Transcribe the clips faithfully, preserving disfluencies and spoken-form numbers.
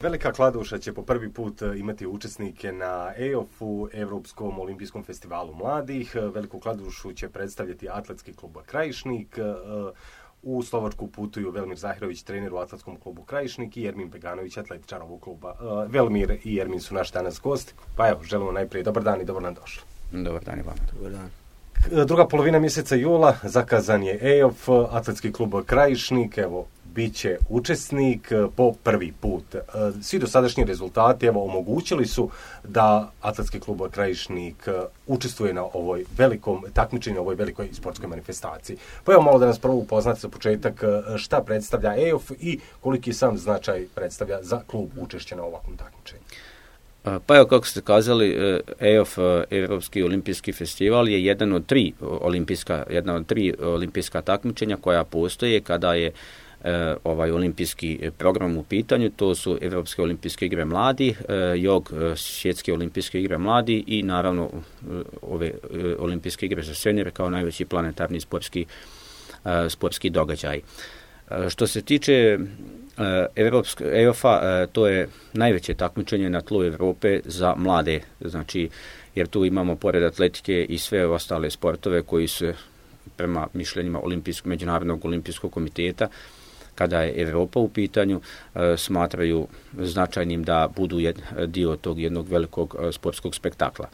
Velika Kladuša će po prvi put imati učesnike na E O F-u, Europskom olimpijskom festivalu mladih. Veliku Kladušu će predstavljati Atletski klub Krajišnik. U Slovačku putuju Velimir Zahirović, trener u Atletskom klubu Krajišnik, i Ermin Beganović, atletičar ovog kluba. Velimir i Ermin su naši danas gosti. Pa evo, želimo najprije dobar dan i dobro nam došli. Dobar dan i vama. Dobar dan. Druga polovina mjeseca jula, zakazan je E O F, Atletski klub Krajišnik, evo, bit će učesnik po prvi put. Svi dosadašnji rezultati evo omogućili su da Atletski klub Krajišnik učestvuje na ovoj velikom takmičenju, ovoj velikoj sportskoj manifestaciji. Pa evo malo da nas prvo upoznate za početak šta predstavlja E O F i koliki sam značaj predstavlja za klub učešće na ovakvom takmičenju. Pa evo, kako ste kazali, E O F, Europski olimpijski festival, je jedan od tri olimpijska, jedna od tri olimpijska takmičenja koja postoje kada je E, ovaj olimpijski program u pitanju. To su Europske olimpijske igre mladi, e, jog e, svjetske olimpijske igre mladi i naravno e, ove e, olimpijske igre za seniore kao najveći planetarni sportski, e, sportski događaj. E, što se tiče e, Europske E O F-a, e, to je najveće takmičenje na tlu Europe za mlade, znači jer tu imamo pored atletike i sve ostale sportove koji su prema mišljenjima olimpijskog, Međunarodnog olimpijskog komiteta, kada je Europa u pitanju, e, smatraju značajnim da budu jed, dio tog jednog velikog e, sportskog spektakla.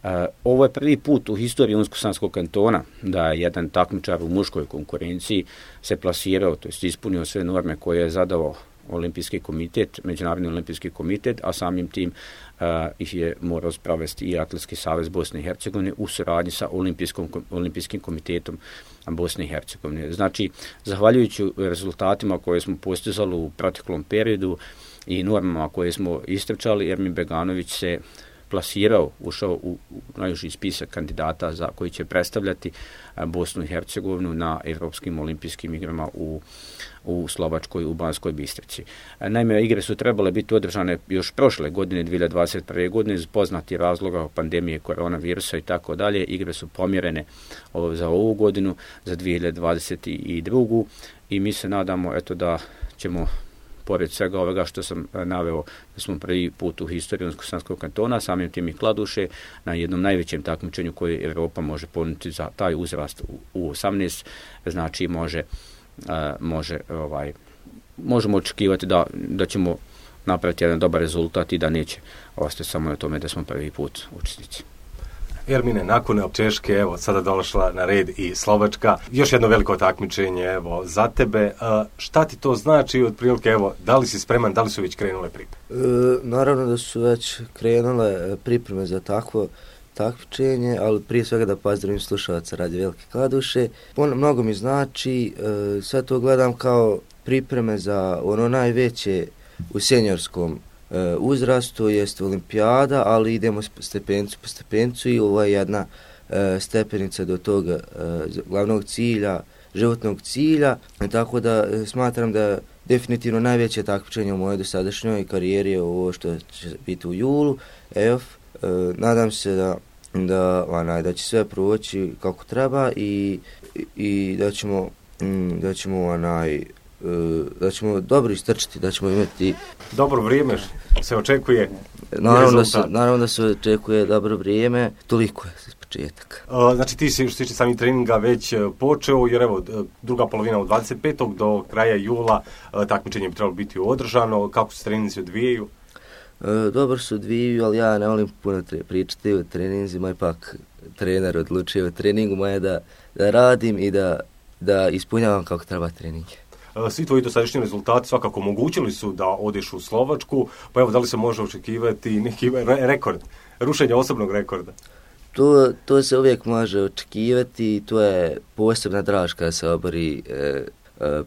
E, ovo je prvi put u historiji Unsko-Sanskog kantona da je jedan takmičar u muškoj konkurenciji se plasirao, to jest ispunio sve norme koje je zadao Olimpijski komitet, Međunarodni olimpijski komitet, a samim tim uh, ih je morao sprovesti i Atletski savez Bosne i Hercegovine u suradnji sa Olimpijskim komitetom Bosne i Hercegovine. Znači, zahvaljujući rezultatima koje smo postizali u proteklom periodu i normama koje smo istrčali, Ermin Beganović se plasirao, ušao u najuži spisak kandidata za koji će predstavljati Bosnu i Hercegovinu na Europskim olimpijskim igrama u, u Slovačkoj, u Banskoj Bistrici. Naime, igre su trebale biti održane još prošle godine, dvije hiljade dvadeset prve. godine, iz poznatih razloga pandemije koronavirusa i tako dalje. Igre su pomjerene za ovu godinu, za dvije hiljade dvadeset drugu. i mi se nadamo eto da ćemo, pored svega ovoga što sam naveo, da smo prvi put u historiji Unsko-Sanskog kantona, samim tim i Kladuše, na jednom najvećem takmičenju koje Europa može ponuditi za taj uzrast u osamnaest, znači može, može ovaj, možemo očekivati da, da ćemo napraviti jedan dobar rezultat i da neće ostati samo na tome da smo prvi put učesnici. Ermine, nakon Češke, evo, sada došla na red i Slovačka. Još jedno veliko takmičenje, evo, za tebe. A, šta ti to znači, otprilike, evo, da li si spreman, da li su već krenule pripreme? E, naravno da su već krenule pripreme za takvo takmičenje, ali prije svega da pozdravim slušalaca Radio Velike Kladuše. On mnogo mi znači, e, sve to gledam kao pripreme za ono najveće u seniorskom uzrastu, jest olimpijada, ali idemo stepencu po stepencu i ovo je jedna e, stepenica do tog e, glavnog cilja, životnog cilja, e, tako da e, smatram da definitivno najveće takmičenje u mojoj dosadašnjoj karijeri je ovo što će biti u julu, E O F. E, nadam se da, da, onaj, da će sve proći kako treba i, i da ćemo, m, da ćemo onaj, da ćemo dobro istrčiti, da ćemo imati dobro vrijeme se očekuje. Naravno da, se, naravno da se očekuje dobro vrijeme, toliko je za početak. Uh, znači ti si što se tiče samih treninga već počeo, jer evo druga polovina od dvadeset petog do kraja jula uh, takmičenje bi trebalo biti održano. Kako se treninzi odvijaju? Uh, dobro se odvijaju, ali ja ne volim puno tre- pričati o treninzima, ipak trener odlučuje o treningu, moje da, da radim i da, da ispunjavam kako treba treninge. Svi tvoji dosadašnji rezultati svakako omogućili su da odeš u Slovačku, pa evo da li se može očekivati neki re- rekord, rušenje osobnog rekorda? To, to se uvijek može očekivati, to je posebna draž kada se obori e, e,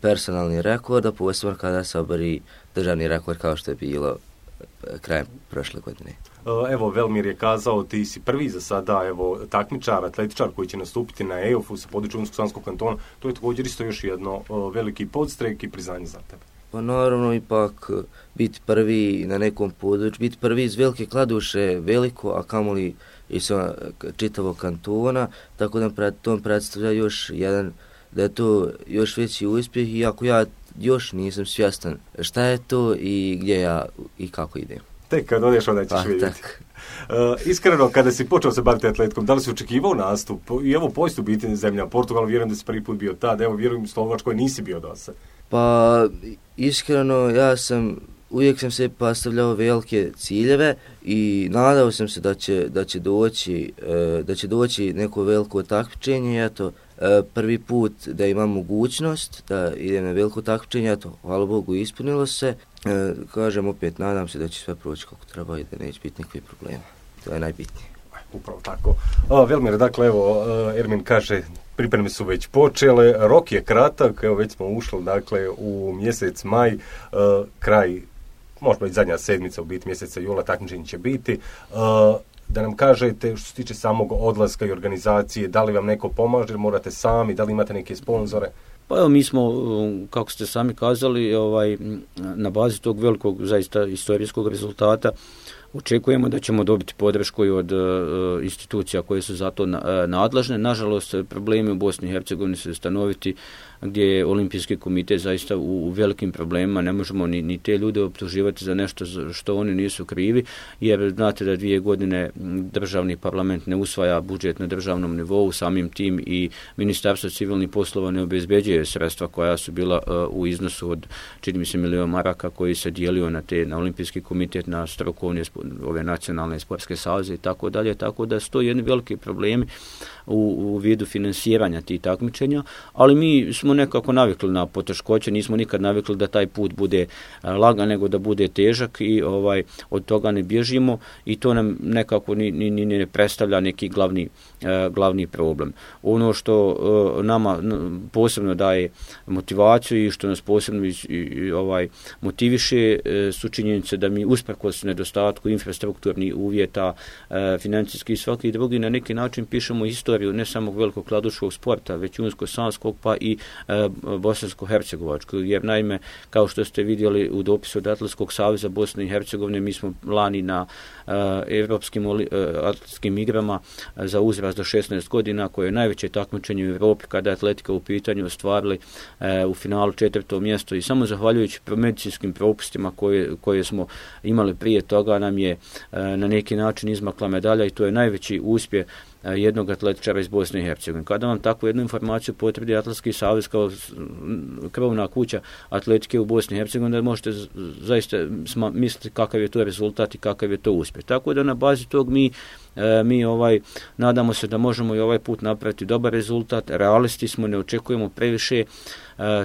personalni rekord, a posebno kada se obori državni rekord kao što je bilo krajem prošle godine. Evo, Velimir je kazao, ti si prvi za sada, evo, takmičar, atletičar koji će nastupiti na E O F-u sa područja Unsko-Sanskog kantona. To je također isto još jedno veliki podstrek i priznanje za tebe. Pa naravno, ipak biti prvi na nekom području, biti prvi iz Velike Kladuše veliko, a kamoli i sa čitavog kantona, tako da pred tom predstavlja još jedan, da je to još veći uspjeh, iako ja još nisam svjestan šta je to i gdje ja i kako idem. Tek kad odeš onda ćeš pa, vidjeti. Uh, iskreno, kada si počeo se baviti atletikom, da li si očekivao nastup? I evo poistu biti zemlja Portugal, vjerujem da si prvi put bio tad, evo vjerujem Slovačkoj nisi bio do sad. Pa iskreno ja sam, uvijek sam se postavljao velike ciljeve i nadao sam se da će, da će doći, da će doći neko veliko takmičenje, eto, prvi put da imam mogućnost da idem na veliko takmičenje, eto, hvala Bogu ispunilo se. E, kažem opet, nadam se da će sve proći kako treba i da neće biti nikakvih problema. To je najbitnije. Upravo tako. O, Velmir, dakle, evo, Ermin kaže, pripreme su već počele, rok je kratak, evo već smo ušli, dakle, u mjesec maj, uh, kraj, možda i zadnja sedmica u biti mjeseca jula, takmičenje će biti. Uh, da nam kažete što se tiče samog odlaska i organizacije, da li vam neko pomaže, morate sami, da li imate neke sponzore? Pa evo, mi smo, kako ste sami kazali, ovaj, na bazi tog velikog, zaista istorijskog rezultata, očekujemo da ćemo dobiti podršku i od uh, institucija koje su za to na, uh, nadležne. Nažalost, problemi u Bosni i Hercegovini su stanoviti, gdje je Olimpijski komitet zaista u, u velikim problemima. Ne možemo ni, ni te ljude optuživati za nešto što oni nisu krivi, jer znate da dvije godine državni parlament ne usvaja budžet na državnom nivou, samim tim i Ministarstvo civilnih poslova ne obezbeđuje sredstva koja su bila uh, u iznosu od, čini mi se, milijon maraka koji se dijelio na te, na Olimpijski komitet, na strukovne ove nacionalne sportske saveze i tako dalje, tako da su to jedni veliki problemi u, u vidu finansiranja tih takmičenja, ali mi smo nekako navikli na poteškoće, nismo nikad navikli da taj put bude lagan, nego da bude težak i ovaj od toga ne bježimo i to nam nekako ni, ni, ni ne predstavlja neki glavni, eh, glavni problem. Ono što eh, nama posebno daje motivaciju i što nas posebno i, i, ovaj motiviše eh, su činjenice da mi usprkos nedostatku infrastrukturnih uvjeta, e, financijski i svaki drugi, na neki način pišemo historiju ne samo velikog kladuškog sporta, već unsko-sanskog pa i e, bosansko-hercegovačkog, jer naime, kao što ste vidjeli u dopisu od Atletskog saveza Bosne i Hercegovine, mi smo lani na e, Evropskim e, atletskim igrama za uzrast do šesnaest godina, koje je najveće takmičenje u Europi kada je atletika u pitanju, ostvarili e, u finalu četvrto mjesto i samo zahvaljujući medicinskim propustima koje, koje smo imali prije toga nam je na neki način izmakla medalja i to je najveći uspjeh jednog atletičara iz Bosne i Hercegovine. Kada vam takvu jednu informaciju potvrdi Atletski savez kao krovna kuća atletike u Bosni i Hercegovini, da možete zaista misliti kakav je to rezultat i kakav je to uspjeh. Tako da na bazi tog mi mi ovaj nadamo se da možemo i ovaj put napraviti dobar rezultat. Realisti smo, ne očekujemo previše,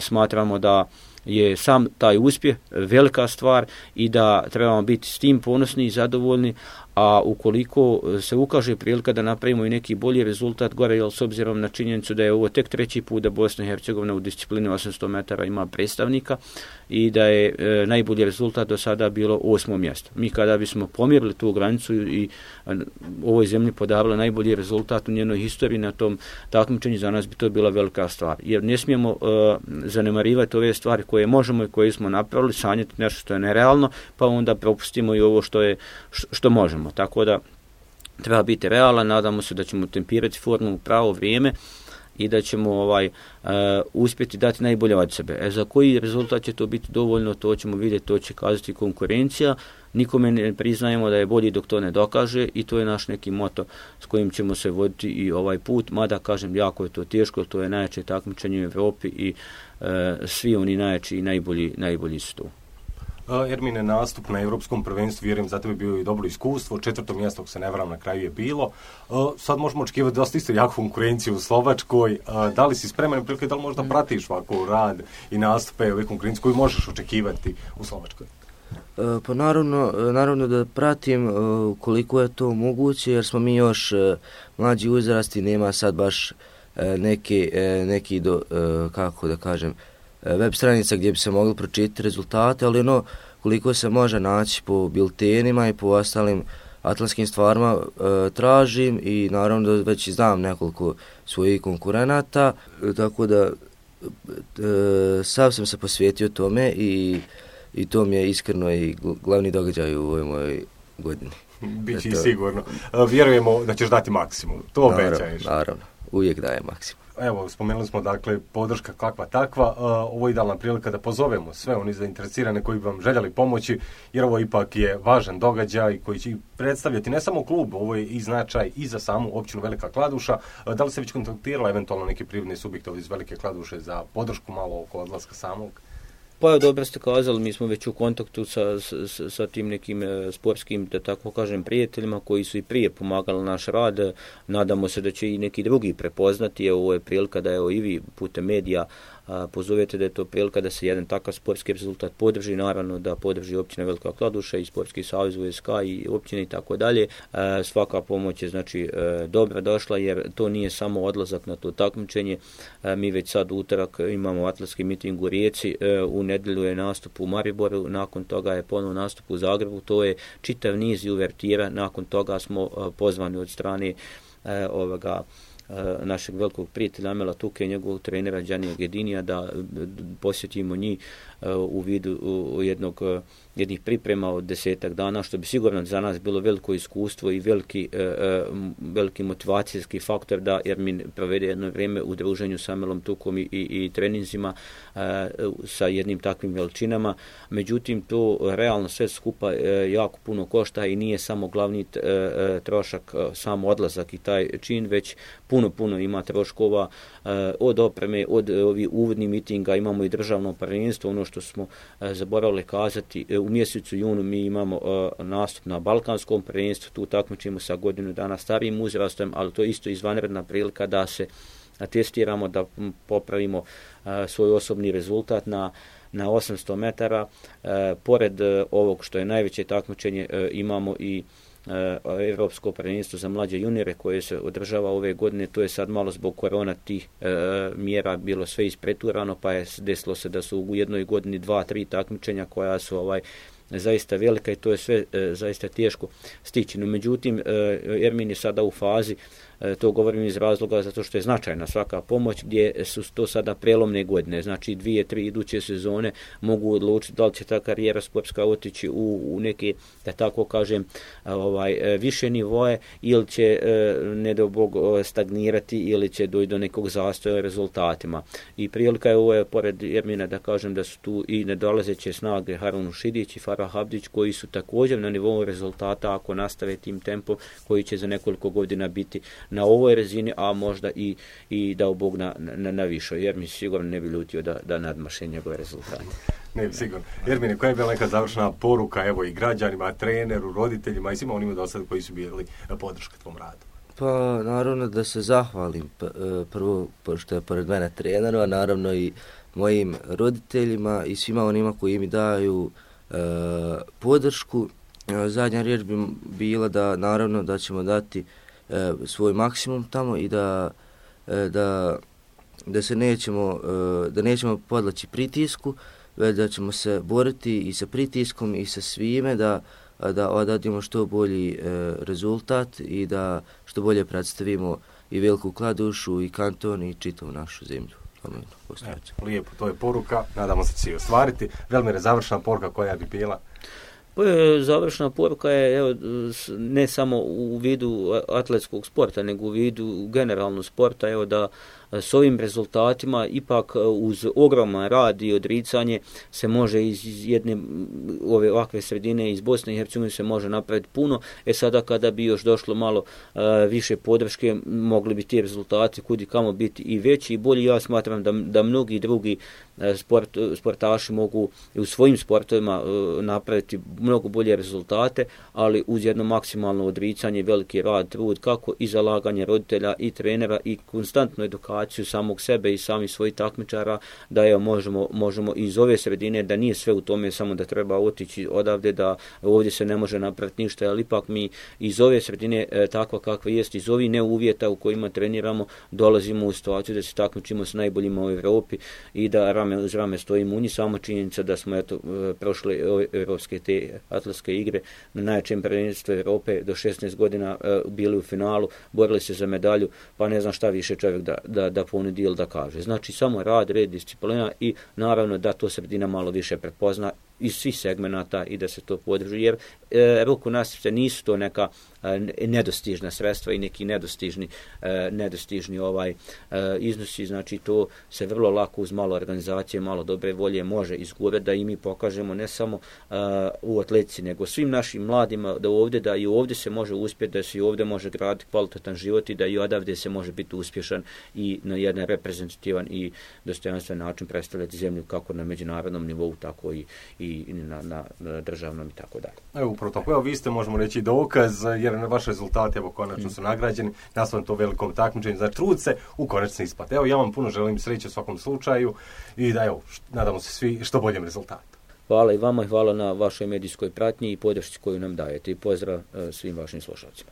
smatramo da je sam taj uspjeh velika stvar i da trebamo biti s tim ponosni i zadovoljni, a ukoliko se ukaže prilika da napravimo i neki bolji rezultat gore, jer s obzirom na činjenicu da je ovo tek treći put da Bosna i Hercegovina u disciplini osamsto metara ima predstavnika i da je e, najbolji rezultat do sada bilo osmo mjesto. Mi kada bismo pomjerili tu granicu i a, ovoj zemlji podavali najbolji rezultat u njenoj historiji na tom takmičenju, za nas bi to bila velika stvar. Jer ne smijemo e, zanemarivati ove stvari koje možemo i koje smo napravili, sanjati nešto što je nerealno, pa onda propustimo i ovo što je što možemo. Tako da treba biti realan, nadamo se da ćemo tempirati formu u pravo vrijeme i da ćemo ovaj uh, uspjeti dati najbolje od sebe. E, za koji rezultat će to biti dovoljno, to ćemo vidjeti, to će kazati konkurencija. Nikome ne priznajemo da je bolji dok to ne dokaže i to je naš neki moto s kojim ćemo se voditi i ovaj put, mada kažem jako je to teško, to je najjače takmičenje u Europi i uh, svi oni najjači i najbolji, najbolji su tu. Ermine, nastup na Europskom prvenstvu, vjerujem, za tebe bilo i dobro iskustvo, četvrto mjesto, ako se ne varam, na kraju je bilo. Sad možemo očekivati dosta isto jaku konkurenciju u Slovačkoj. Da li si spreman, prilike, da li možda pratiš ovako rad i nastupe ove konkurencije koju možeš očekivati u Slovačkoj? Pa naravno, naravno da pratim koliko je to moguće, jer smo mi još mlađi uzrasti, nema sad baš neki, neki do, kako da kažem, web stranica gdje bi se mogli pročitati rezultate, ali ono koliko se može naći po biltenima i po ostalim atletskim stvarima e, tražim i naravno da već znam nekoliko svojih konkurenata, e, tako da e, sav sam se posvetio tome i, i to mi je iskreno i glavni događaj u ovoj mojoj godini. Biće i sigurno. Vjerujemo da ćeš dati maksimum, to naravno, obećaješ. Naravno, uvijek daje maksimum. Evo, spomenuli smo dakle podrška kakva takva, ovo je idealna prilika da pozovemo sve oni zainteresirane koji bi vam željeli pomoći, jer ovo ipak je važan događaj koji će predstavljati ne samo klub, ovo je i značaj i za samu općinu Velika Kladuša. Da li se već kontaktirala eventualno neki privredni subjekt iz Velike Kladuše za podršku malo oko odlaska samog? Pa dobro ste kazali, mi smo već u kontaktu sa, sa, sa tim nekim e, sportskim, da tako kažem, prijateljima koji su i prije pomagali naš rad. Nadamo se da će i neki drugi prepoznati. Evo, ovo je prilika da evo, i vi putem medija a, pozovete da je to prilika da se jedan takav sportski rezultat podrži, naravno da podrži općina Velika Kladuša i Sportski savez U S K i općine i tako dalje. Svaka pomoć je znači e, dobra došla, jer to nije samo odlazak na to takmičenje. E, mi već sad u utorak imamo atletski miting u Rijeci, e, u nedjelju je nastup u Mariboru, nakon toga je ponovno nastup u Zagrebu, to je čitav niz i uvertira, nakon toga smo uh, pozvani od strane uh, ovoga uh, našeg velikog prijatelja Amela Tuke i njegovog trenera Đanija Gedinija da uh, posjetimo njih uh, u vidu uh, jednog uh, jednih priprema od desetak dana, što bi sigurno za nas bilo veliko iskustvo i veliki, e, veliki motivacijski faktor da Ermin provede jedno vrijeme u druženju sa Amelom Tukom i, i, i treninzima e, sa jednim takvim veličinama. Međutim, to realno sve skupa e, jako puno košta i nije samo glavni e, e, trošak, e, samo odlazak i taj čin, već puno, puno ima troškova e, od opreme, od e, ovih uvodnih mitinga, imamo i državno prvenstvo, ono što smo e, zaboravili kazati, e, u mjesecu junu mi imamo uh, nastup na Balkanskom prvenstvu, tu takmičimo sa godinu dana starijim uzrastom, ali to je isto izvanredna prilika da se testiramo, da popravimo uh, svoj osobni rezultat na, na osamsto metara. Uh, pored uh, ovog što je najveće takmičenje, uh, imamo i Europsko prvenstvo za mlađe juniore koje se održava ove godine. To je sad malo zbog korona tih e, mjera bilo sve ispreturano, pa je desilo se da su u jednoj godini dva, tri takmičenja koja su ovaj zaista velika i to je sve e, zaista teško stići. No, međutim, e, Ermin je sada u fazi, e, to govorim iz razloga zato što je značajna svaka pomoć, gdje su to sada prelomne godine, znači dvije, tri iduće sezone mogu odlučiti da li će ta karijera sportska otići u, u neke, da tako kažem, ovaj, više nivoje ili će, ne do Bog, stagnirati ili će doći do nekog zastoja rezultatima. I prilika je ovo, je, pored Ermina, da kažem da su tu i nedolazeće snage Harun Šidić i Farah Abdić, koji su također na nivou rezultata, ako nastave tim tempom, koji će za nekoliko godina biti na ovoj razini, a možda i, i dao Bog na, na, na višoj, jer mi sigurno ne bi ljutio da, da nadmaše njegove rezultate. Ne bi sigurno. Ermine, koja je bila neka završna poruka, evo, i građanima, treneru, roditeljima i svima onima do sada koji su bili podrška tvom radu? Pa naravno da se zahvalim prvo što je pored mene treneru, a naravno i mojim roditeljima i svima onima koji mi daju e, podršku. Zadnja riječ bi bila da naravno da ćemo dati e, svoj maksimum tamo i da, e, da, da se nećemo, e, da nećemo podlaći pritisku, već da ćemo se boriti i sa pritiskom i sa svime da da odradimo što bolji e, rezultat i da što bolje predstavimo i Veliku Kladušu i kanton i čitavu našu zemlju. E, lijepo, to je poruka, nadamo se će se ostvariti. Velmire, završna poruka koja bi bila? Završna poruka je, evo, ne samo u vidu atletskog sporta, nego u vidu generalno sporta, evo, da s ovim rezultatima ipak uz ogroman rad i odricanje se može iz jedne ove ovakve sredine iz Bosne i Hercegovine se može napraviti puno. E sada kada bi još došlo malo uh, više podrške, mogli bi ti rezultati kudi kamo biti i veći i bolji. Ja smatram da, da mnogi drugi uh, sport, sportaši mogu u svojim sportovima uh, napraviti mnogo bolje rezultate, ali uz jedno maksimalno odricanje, veliki rad, trud, kako i zalaganje roditelja i trenera i konstantnu edukaciju samog sebe i samih svojih takmičara, da evo možemo, možemo iz ove sredine, da nije sve u tome samo da treba otići odavde, da ovdje se ne može napraviti ništa, ali ipak mi iz ove sredine e, takva kakva jest, iz ovih neuvjeta u kojima treniramo, dolazimo u situaciju da se takmičimo s najboljima u Europi i da rame uz rame stojimo u njih. Samo činjenica da smo eto prošle europske te atletske igre na najjačem prvenstvu Europe do šesnaest godina e, bili u finalu, borili se za medalju, pa ne znam šta više čovjek da, da, da ponudi ili da kaže. Znači samo rad, red, disciplina i naravno da to sredina malo više prepozna iz svih segmenata i da se to podrži, jer e, ruku nasice nisu to neka e, nedostižna sredstva i neki nedostižni, e, nedostižni ovaj e, iznosi, znači to se vrlo lako uz malo organizacije, malo dobre volje može izgurati, da i mi pokažemo ne samo e, u atletici, nego svim našim mladima da ovdje, da i ovdje se može uspjeti, da se i ovdje može graditi kvalitetan život i da i odavdje se može biti uspješan i na jedan reprezentativan i dostojanstven način predstavljati zemlju kako na međunarodnom nivou, tako i, i na, na, na državnom i tako dalje. Evo, upravo tako. Evo, vi ste, možemo reći, dokaz, jer na vaš rezultat, evo, konačno su nagrađeni, nastavno to velikom takmičenju, za trud se u konačni ispat. Evo, ja vam puno želim sreće u svakom slučaju i da, evo, nadamo se svi što boljem rezultatu. Hvala i vama i hvala na vašoj medijskoj pratnji i podršci koju nam dajete i pozdrav svim vašim slušalcima.